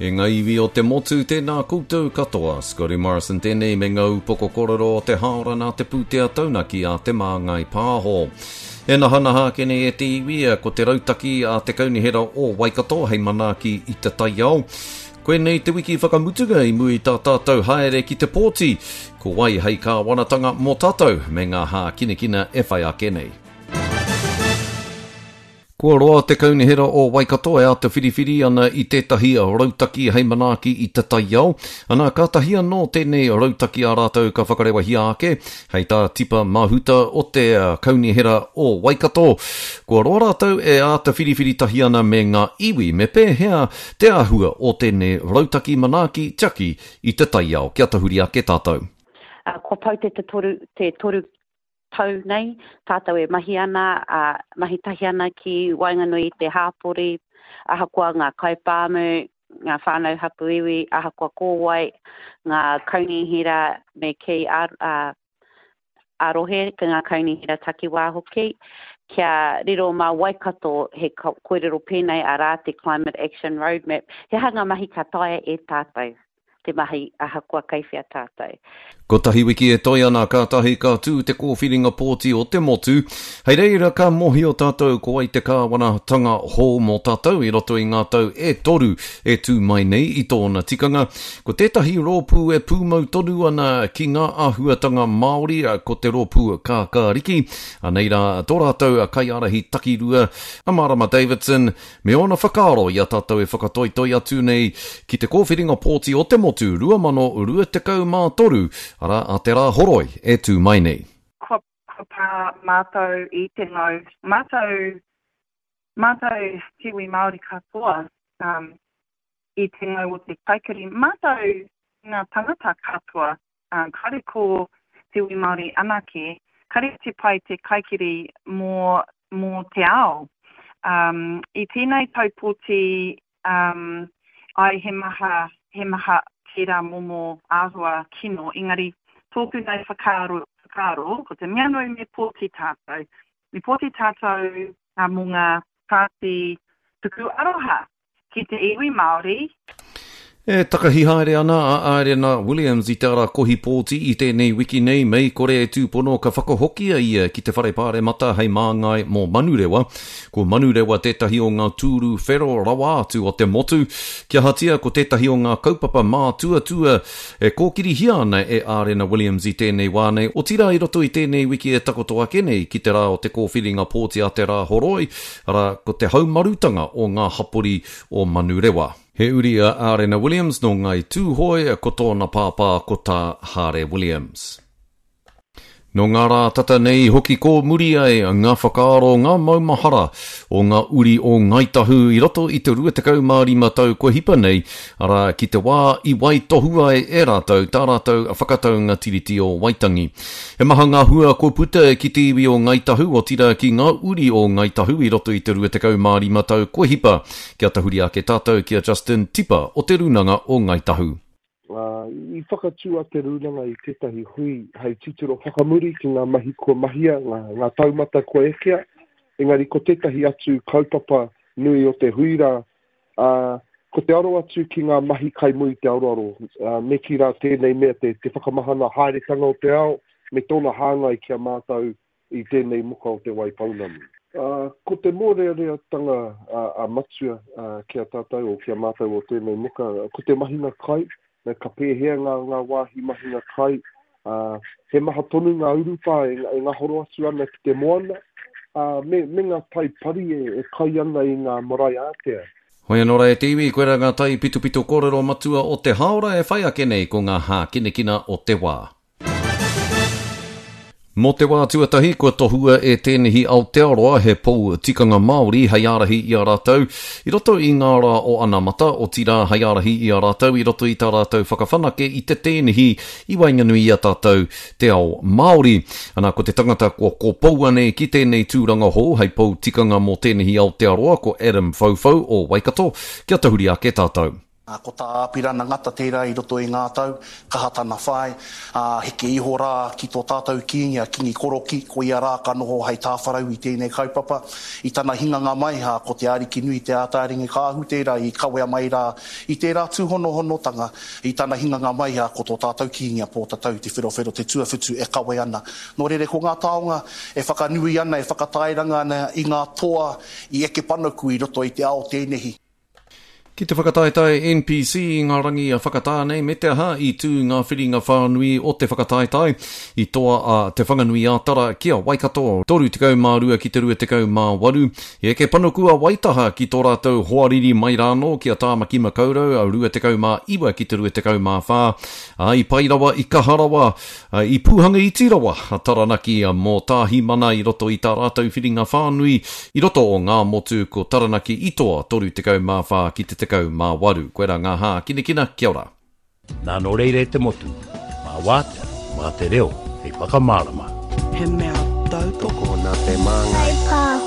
E ngā iwi o te motu, tēnā koutou katoa. Scotty Morrison tēnei me ngā upoko kōrero o te hāora nā te pūtea taunaki a Te Māngai Pāho. E nahanaha ake nei e te iwi, ko te rautaki a te Kaunihera o Waikato hei manaaki i te taiao. Koinei te wiki whakamutunga i mua i tā tātou haere ki te pōti, ko wai hei kāwanatanga mō tātou me ngā hākinakina e whai ake nei. Kua roa te Kaunihera o Waikato e āta whiriwhiri ana i tētahi rautaki hei manaaki i te taiao, ana kātahi anō tēnei rautaki a rātou ka whakarewahia ake, hei tā Tipa Mahuta o te Kaunihera o Waikato. Kua roa rātou e āta whiriwhiri tahi ana me ngā iwi me pēhea te āhua o tēnei rautaki manaaki tiaki i te taiao. Kia tahuri ake tātou. Kua pau te te toru tau nei, tātou e mahi ana, ā, mahi tahi ana ki waenganui i te hāpori, ahakoa ngā kaipāmu, ngā whānau hapū iwi, ahakoa ko wai, ngā kaunihera me kī ā, ā, ā-rohe, ngā kaunihera takiwā hoki, kia riro mā Waikato he kōrero pēnei arā te Climate Action Roadmap, he aha ngā mahi ka taea e tātou? te mahi ahakoa kei whea tātou. Kotahi wiki e toe ana kātahi ka tū te kōwhiringa pōti o te motu, hei reira ka mōhio tātou ko wai te kāwanatanga hou mō tātou i roto i ngā tau e toru e tū mai nei i tōna tikanga. Ko tētahi rōpū e pūmau tonu ana ki ngā āhuatanga Māori ko te rōpū Kākāriki, anei rā tō rātou kaiārahi takirua a Marama Davidson, Me ōna whakaaro i a tātou e whakatoitoi atu nei ki te kōwhiringa pōti o te motu 2023, arā, a Te Rā Horoi e tū mai nei. Kua pā mātou i te ngau, mātou, mātou te iwi Māori katoa i te ngau o te kaikiri, mātou ngā tangata katoa Kāre ko te iwi Māori anake, kāre te pai te kaikiri mō, mō te ao. Um, i tēnei tau pōti, um, ai he maha, he maha tērā momo āhua kino, engari tōku nei whakaaro, whakaaro, ko te mea nui me pōti tātou. Me pōti tātou uh, mō ngā pāti tuku aroha. ki te iwi Māori. E takahi haere ana a Aerena Williams i te ara kohi pōti i tēnei wiki nei, mei kore e tūpono ka whakahokia ia ki te Whare Pāremata hei māngai mō Manurewa. Ko Manurewa tētahi o ngā tūru whero rawa atu o te motu. Kia ahatia ko tētahi o ngā kaupapa mātuatua e kōkirihia ana e Aerena Williams i tēnei wā nei, otirā i roto i tēnei wiki e takoto ake nei ki te rā o te kōwhiringa pōti a te Rāhoroi, arā, ko te haumarutanga o ngā hapori o Manurewa. He uri a Ārena Williams nō Ngāi Tūhoe, ko tōna pāpā ko Tā Hāre Williams. Nō ngā rā tata nei i hoki kōmuri ai ngā whakaaro, ngā maumahara o ngā uri o Ngāi Tahu i roto i te 25 tau kua hipa nei, arā, ki te wā i waitohu ai e rātou tā rātou whakataunga Tiriti o Waitangi. He maha ngā hua kua puta ki te iwi o Ngāi Tahu, otirā ki ngā uri o Ngāi Tahu i roto i te 25 tau kua hipa. Kia tahuri ake tātou ki a Justin Tipa o Te Rūnanga o Ngāi Tahu. I whakatū a Te Rūnanga i tētahi hui hei titiro whakamuri ki ngā mahi kua mahia, ngā taumata kua ekea, engari ko tētahi atu kaupapa nui o te hui rā, Ā, ko te aro atu ki ngā mahi kai muri i te aroaro, ā, me kī rā tēnei mea te, te whakamahana haeretanga o te ao me tōna hāngai ki a mātou i tēnei muka o Te Waipounamu. Ā, ko te mōreareatanga a, a Matua, ā, ki a tātou, o ki a mātou o tēnei muka, ko te mahinga kai, me ka pēhea ngā, ngā wāhi mahinga kai, ā, he maha tonu ngā urupā e, e ngahoro atu ana ki te moana, ā, me, me ngā tai pari e, e kai ana i ngā marae ātea. Hoi anō rā e te iwi, koirā ngā taipitopito kōrero matua o te hāora e whai ake nei ko ngā hākinakina o te wā. Mō te wā tuatahi, kua tohua e Tēnehi Aotearoa he pou tikanga Māori hei ārahi i a rātou i roto i ngā rā o anamata, otirā hei ārahi i a rātou i roto i tā rātou whakawhanake i te tēnehi i waenganui i a tātou te ao Māori. Ana, ko te tangata kua kopoua nei ki tēnei tūranga hou hei pou tikanga mō Tēnehi Aotearoa ko Adam Whauwhau o Waikato, kia tahuri ake tātou. Ko tā Āpirana Ngata tērā i roto i ngā tau, kaha tana whai, ā, heke iho rā ki tō tātou Kīngi a Kīngi Korokī, ko ia rā ka noho hei tāwharau i tēnei kaupapa. I tana hinganga mai, ā, ko Te Arikinui Te Ātaaringikaahu tērā i kawea mai rā i tērā tūhonohonotanga. I tana hinganga mai, ā, ko tō tātou Kīngi a Pōtatau Te Wherowhero Te Tuawhitu e kawe ana. Nō reira, ko ngā taonga e whakanui ana, e whakatairanga ana i ngā toa i eke panuku i roto i te ao tēnehi. Ki te whakataetae NPC i ngā rangi a Whakatāne me te aha i tū ngā whiringa whānui o te whakataetae i toa a Te Whanganui-ā-Tara ki a Waikato 32 ki te 28. I eke panuku a Waitaha ki tō rātou hoariri mai rānō ki a Tāmaki Makaurau 29 ki te 24, ā, i pai rawa, i kaha rawa I pūhanga iti rawa a Taranaki mō Tāhimana i roto i tā rātou whiringa whānui i roto o Ngāmotu, ko Taranaki i toa 34 ki te 18. Koirā ngā hākinakina, kia ora. Nā nō reira e te motu, mā wātea, mā te reo hei whakamārama. He mea tautoko. Tokona te māngai. Kaipāho.